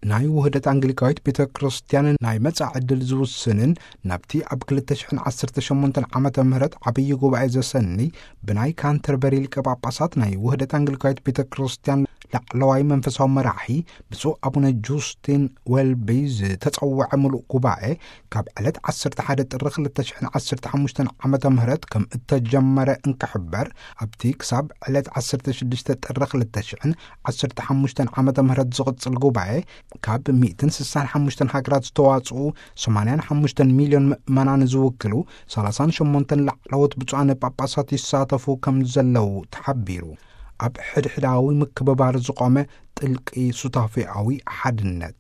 ናይ ውህደት ኣንግሊካዊት ቤተ ክርስቲያን ናይ መጻኢ ዕድል ዝውስንን፣ ናብቲ ኣብ ክልተ ሽሕን ዓሰርተ ሸሞንተን ዓመተ ምህረት ዓብዪ ጉባኤ ዘሰኒ ብናይ ካንተርበሪ ሊቀ ጳጳሳት ናይ ውህደት ኣንግሊካዊት ቤተ ክርስቲያን ላዕለዋይ መንፈሳዊ መራሒ ብፁዕ ኣቡነ ጁስቲን ዌልቢ ዝተጸውዐ ምሉእ ጉባኤ፣ ካብ ዕለት ዓሰርተ ሓደ ጥሪ ክልተ ሽሕን ዓሰርተ ሓሙሽተን ዓመተ ምህረት ከም እተጀመረ እንክሕበር፣ ኣብቲ ክሳብ ዕለት ዓሰርተ ሽዱሽተ ጥሪ ክልተ ሽሕን ዓሰርተ ሓሙሽተን ዓመተ ምህረት ዝቕጽል ጉባኤ፣ ካብ ሚእትን ስሳን ሓሙሽተን ሃገራት ዝተዋጽኡ ሰማንያን ሓሙሽተን ሚልዮን ምእመናን ዝውክሉ ሰላሳን ሸሞንተን ላዕለዎት ብፁዓን ጳጳሳት ይሳተፉ ከም ዘለዉ ተሓቢሩ። ኣብ ሕድሕዳዊ ምክብባር ዝቖመ ጥልቂ ሱታፌኣዊ ሓድነት፣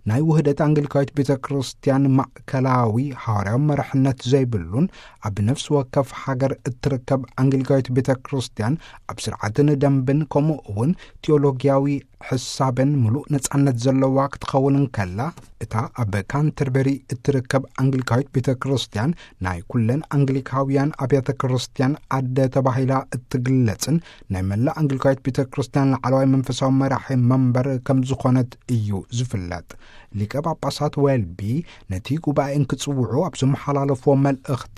ናይ ውህደት ኣንግሊካዊት ቤተ ክርስቲያን ማእከላዊ ሃዋርያዊ መራሕነት ዘይብሉን፣ ኣብ ነፍሲ ወከፍ ሃገር እትርከብ ኣንግሊካዊት ቤተ ክርስቲያን ኣብ ስርዓትን ደንብን፣ ከምኡ እውን ቴዎሎጊያዊ ሕሳብን ምሉእ ነጻነት ዘለዋ ክትኸውን እንከላ፣ እታ ኣብ ካንተርበሪ እትርከብ ኣንግሊካዊት ቤተ ክርስቲያን ናይ ኩለን ኣንግሊካውያን ኣብያተ ክርስቲያን ኣደ ተባሂላ እትግለጽን፣ ናይ መላእ ኣንግሊካዊት ቤተ ክርስቲያን ላዕለዋይ መንፈሳዊ መራሒ መንበር ከም ዝኾነት እዩ ዝፍለጥ። ሊቀ ጳጳሳት ዌልቢ ነቲ ጉባኤ እንክጽውዑ ኣብ ዘመሓላለፍዎ መልእኽቲ፣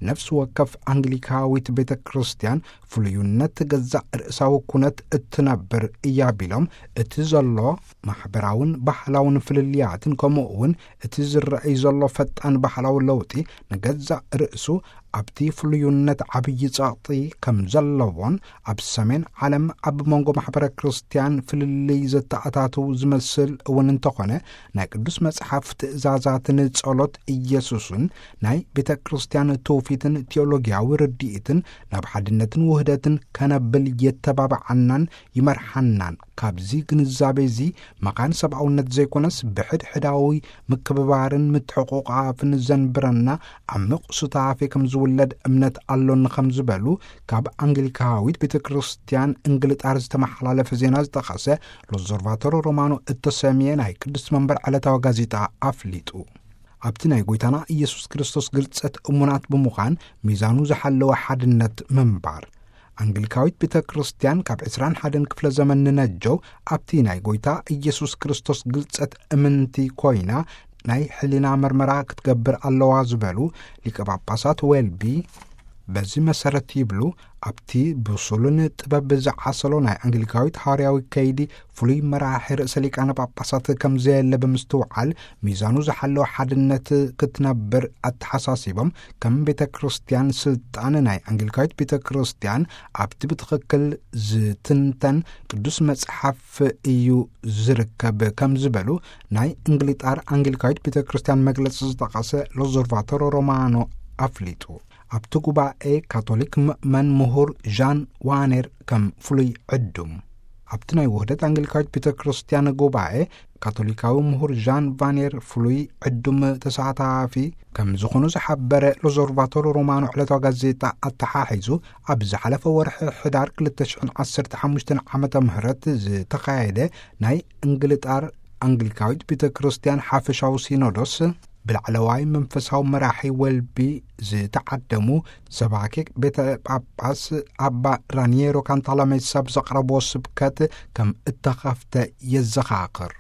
ነፍሲ ወከፍ ኣንግሊካዊት ቤተ ክርስቲያን ፍሉይነት ገዛእ ርእሳዊ ኩነት እትነብር እያ ቢሎም፣ እቲ ዘሎ ማሕበራውን ባህላውን ፍልልያትን፣ ከምኡ እውን እቲ ዝረኣይ ዘሎ ፈጣን ባህላዊ ለውጢ ንገዛእ ርእሱ ኣብቲ ፍሉይነት ዓብዪ ጸቕጢ ከም ዘለዎን፣ ኣብ ሰሜን ዓለም ኣብ መንጎ ማሕበረ ክርስቲያን ፍልልይ ዘተኣታትው ዝመስል እውን እንተኾነ፣ ናይ ቅዱስ መጽሓፍ ትእዛዛትን ጸሎት ኢየሱስን ናይ ቤተ ክርስቲያን ትውፊትን ቴዎሎጊያዊ ርድኢትን ናብ ሓድነትን ውህደትን ከነብል የተባብዓናን ይመርሓናን። ካብዚ ግንዛቤ እዚ፣ መኻን ሰብኣውነት ዘይኮነስ፣ ብሕድሕዳዊ ምክብባርን ምትሕቑቓፍን ዘንብረና ዓሚቕ ሱታፌ ከም ዝውለድ እምነት ኣሎኒ ከም ዝበሉ፣ ካብ ኣንግሊካዊት ቤተ ክርስቲያን እንግልጣር ዝተመሓላለፈ ዜና ዝጠቐሰ ሎዞርቫቶሮ ሮማኖ እተሰምየ ናይ ቅድስት መንበር ዕለታዊ ጋዜጣ ኣፍሊጡ። ኣብቲ ናይ ጎይታና ኢየሱስ ክርስቶስ ግልጸት እሙናት ብምዃን፣ ሚዛኑ ዝሓለወ ሓድነት ምንባር። ኣንግሊካዊት ቤተ ክርስቲያን ካብ ዕስራን ሓደን ክፍለ ዘመን ንነጀው ኣብቲ ናይ ጎይታ ኢየሱስ ክርስቶስ ግልጸት እምንቲ ኮይና፣ ናይ ሕሊና መርመራ ክትገብር ኣለዋ ዝበሉ ሊቀ ጳጳሳት ዌልቢ፣ በዚ መሰረት ይብሉ፣ ኣብቲ ብሱልን ጥበብ ዝዓሰሎ ናይ ኣንግሊካዊት ሃዋርያዊ ከይዲ ፍሉይ መራሒ ርእሰ ሊቃነ ጳጳሳት ከም ዘየለ ብምስትውዓል፣ ሚዛኑ ዝሓለወ ሓድነት ክትነብር ኣተሓሳሲቦም፣ ከም ቤተ ክርስቲያን ስልጣን ናይ ኣንግሊካዊት ቤተ ክርስቲያን ኣብቲ ብትኽክል ዝትንተን ቅዱስ መጽሓፍ እዩ ዝርከብ ከም ዝበሉ ናይ እንግሊጣር ኣንግሊካዊት ቤተ ክርስቲያን መግለጺ ዝጠቐሰ ሎዞርቫቶሮ ሮማኖ ኣፍሊጡ። ኣብቲ ጉባኤ ካቶሊክ ምእመን ምሁር ዣን ዋኔር ከም ፍሉይ ዕዱም። ኣብቲ ናይ ውህደት ኣንግሊካዊት ቤተ ክርስቲያን ጉባኤ፣ ካቶሊካዊ ምሁር ዣን ቫኔር ፍሉይ ዕዱም ተሳታፊ ከም ዝኾኑ ዝሓበረ ሎዞርቫቶሮ ሮማኖ ዕለታዊ ጋዜጣ ኣተሓሒዙ፣ ኣብ ዝሓለፈ ወርሒ ሕዳር ክልተ ሽሕን ዓሰርተ ሓሙሽተን ዓመተ ምህረት ዝተኻየደ ናይ እንግልጣር ኣንግሊካዊት ቤተ ክርስቲያን ሓፈሻዊ ሲኖዶስ ብላዕለዋይ መንፈሳዊ መራሒ ወልቢ ዝተዓደሙ ሰባኬ ቤተ ጳጳስ ኣባ ራኒየሮ ካንታላሜሳ ብዘቕረብዎ ስብከት ከም እተኸፍተ የዘኻኽር።